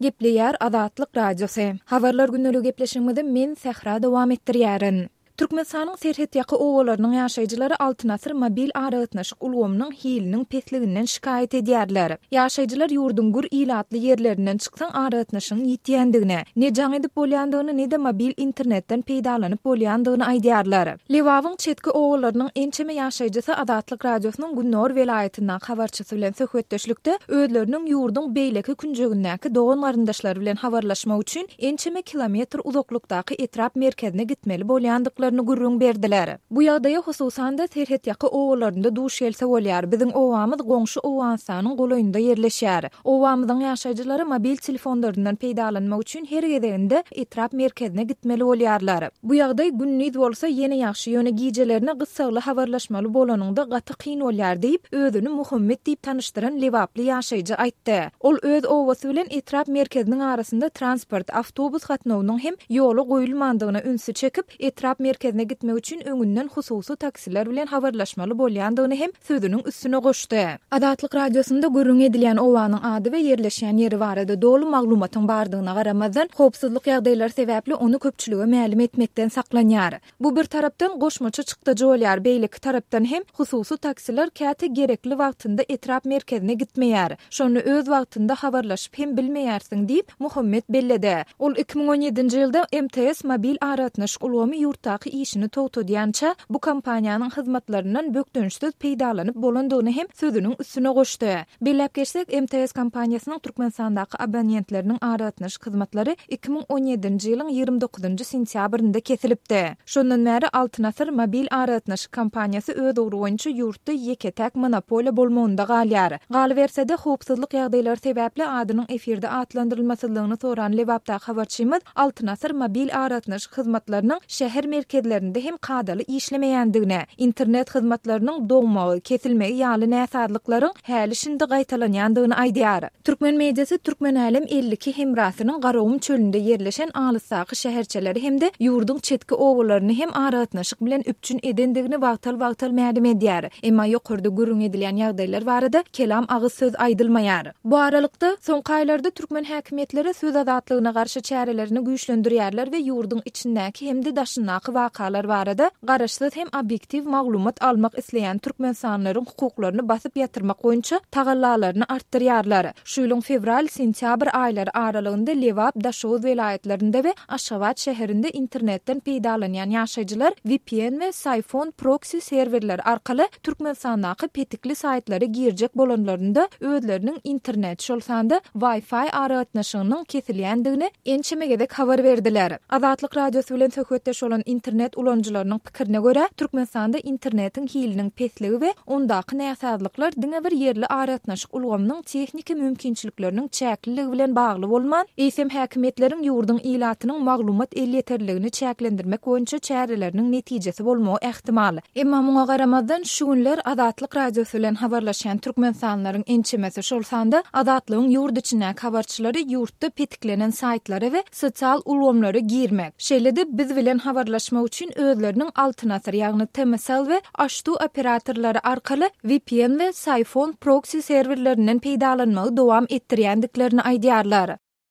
Gepleýär Azatlyk Radiosy. Habarlar gündeligi gepleşigimizi men Sähra dowam etdirýärin. Türkmenistanyň serhetýaka obalarynyň ýaşaýjylary Altyn asyr mobil aragatnaşyk ulgamynyň hiliniň pesliginden şikaýat edýärler. Ýaşaýjylar ýurduň gür ilatly ýerlerinden çyksaň aragatnaşygyň ýitýändigini, ne jaň edip bolýandygyny ne-de mobil internetden peýdalanyp bolýandygyny aýdýarlar. Lebabyň çetki obalarynyň ençeme ýaşaýjysy Azatlyk Radiosynyň gündogar welaýatyndaky habarçysy bilen söhbetdeşlikde özleriniň ýurduň beýleki künjegindäki dogan-garyndaşlary bilen habarlaşmak üçin ençeme kilometr uzaklykdaky etrap merkezine gitmeli bolýandyklaryny gürrüň berdiler. Bu ýagdaýa hususan-da serhetýaka obalarynda duş gelse bolýar. Biziň obamyz goňşy Owganystanyň golaýynda ýerleşýär. Obamyzyň ýaşaýjylary mobil telefonlaryndan peýdalanmak üçin her gezeginde etrap merkezine gitmeli bolýarlar. Bu ýagdaý gündiz bolsa ýene ýagşy, ýöne gijelerine gyssagly habarlaşmaly bolanyňda gaty kyn bolýar diýip, özüni Muhammet diýip tanyşdyran lebaply ýaşaýjy aýtdy. Ol öz obasy bilen etrap merkeziniň arasynda transport, awtobus gatnawynyň hem ýola goýulmandygyna ünsi çekip, etrap merkezine gitmek üçin öňünden hususy taksiler bilen habarlaşmaly bolýandygyny hem sözüniň üstüne goşdy. Azatlyk Radiosynda gürrüňi edilýän obanyň ady we ýerleşýän ýeri barada doly maglumatyň bardygyna garamazdan, howpsuzlyk ýagdaýlary sebäpli ony köpçülige mälim etmekden saklanýar. Bu bir tarapdan goşmaça çykdajy bolýar, beýleki tarapdan hem hususy taksiler käte gerekli wagtynda etrap merkezine gitmeýär. Şonda öz wagtynda habarlaşyp hem bilmeýärsiň diýip, Muhammet belledi. Ol 2017-nji ýylda MTS mobil aragatnaşyk ulgamy ýurtdaky işini togtadýança, bu kompaniýanyň hyzmatlaryndan bökdençsiz peýdalanyp bolandygyny hem sözüniň üstüne goşdy. Belläp geçsek, MTS kompaniýasynyň Türkmenistandaky abonentleriniň aragatnaşyk hyzmatlary 2017-nji ýylyň 29-njy sentýabrynda kesilipdi. Şondan bäri Altyn asyr mobil aragatnaşyk kompaniýasy öz ugry boýunça ýurtda ýeke-täk monopoliýa bolmagynda galýar. Galyberse-de, howpsuzlyk ýagdaýlary sebäpli adynyň efirde atlandyrylmasyzlygyny soran Lebapdaky habarçymyz Altyn asyr mobil aragatnaşyk hyzmatlarynyň şäher merkezlerinde hem kadaly işlemeýändigini, internet hyzmatlarynyň doňmagy, kesilmegi ýaly näsazlyklaryň häli-şindi gaýtalanýandygyny aýdýar. Türkmen mediasy Türkmenälem 52 hemrasynyň Garagum çölünde ýerleşen alysdaky şäherçeleri hem-de ýurduň çetki obalaryny hem aragatnaşyk bilen üpjün edendigini wagtal-wagtal mälim edýär. Emma ýokarda gürrüň edilýän ýagdaýlar barada kelam agyz söz aýdylmaýar. Bu aralykda, soňky aýlarda türkmen häkimiýetleri söz azatlygyna garşy çärelerini güýçlendirýärler we ýurduň içindäki hem-de daşyndaky wakalar barada garaşsyz hem obýektiw maglumat almak isleýän türkmenistanlylaryň hukuklaryny basyp ýatyrmak boýunça tagallalaryny artdyrýarlar. Şu ýylyň fewral-sentýabr aýlary aralygynda Lebap, Daşoguz welaýatlarynda we Aşgabat şäherinde internetden peýdalanýan ýaşaýjylar VPN we Psiphon proksi serwerleri arkaly Türkmenistandaky petikli saýtlara girjek bolanlarynda özleriniň internet, şol sanda Wi-Fi aragatnaşygynyň kesilýändigini ençeme gezek habar berdiler. Azatlyk Radiosy bilen söhbetdeş bolan internet ulanyjylarynyň pikirine görä, Türkmenistanda internetiň hiliniň pesligi we ondaky näsazlyklar diňe bir ýerli aragatnaşyk ulgamynyň tehniki mümkinçilikleriniň çäkliligi bilen bagly bolman, eýsem häkimiýetleriň ýurduň ilatynyň maglumat elýeterliligini çäklendirmek boýunça çäreleriniň netijesi bolmagy ähtimal. Emma muňa garamazdan, şu günler Azatlyk Radiosy bilen habarlaşýan türkmenistanlylaryň ençemesi, şol sanda Azatlygyň ýurt içindäki habarçylary ýurtda petiklenen saýtlara we sosial ulgamlara girmek, şeýle-de biz bilen habarlaşmak üçin özleriniň Altyn asyr, ýagny TMSL we AŞTU operatorlary arkaly VPN we Psiphon proksi serwerlerinden peýdalanmagy dowam etdirýändiklerini aýdýarlar.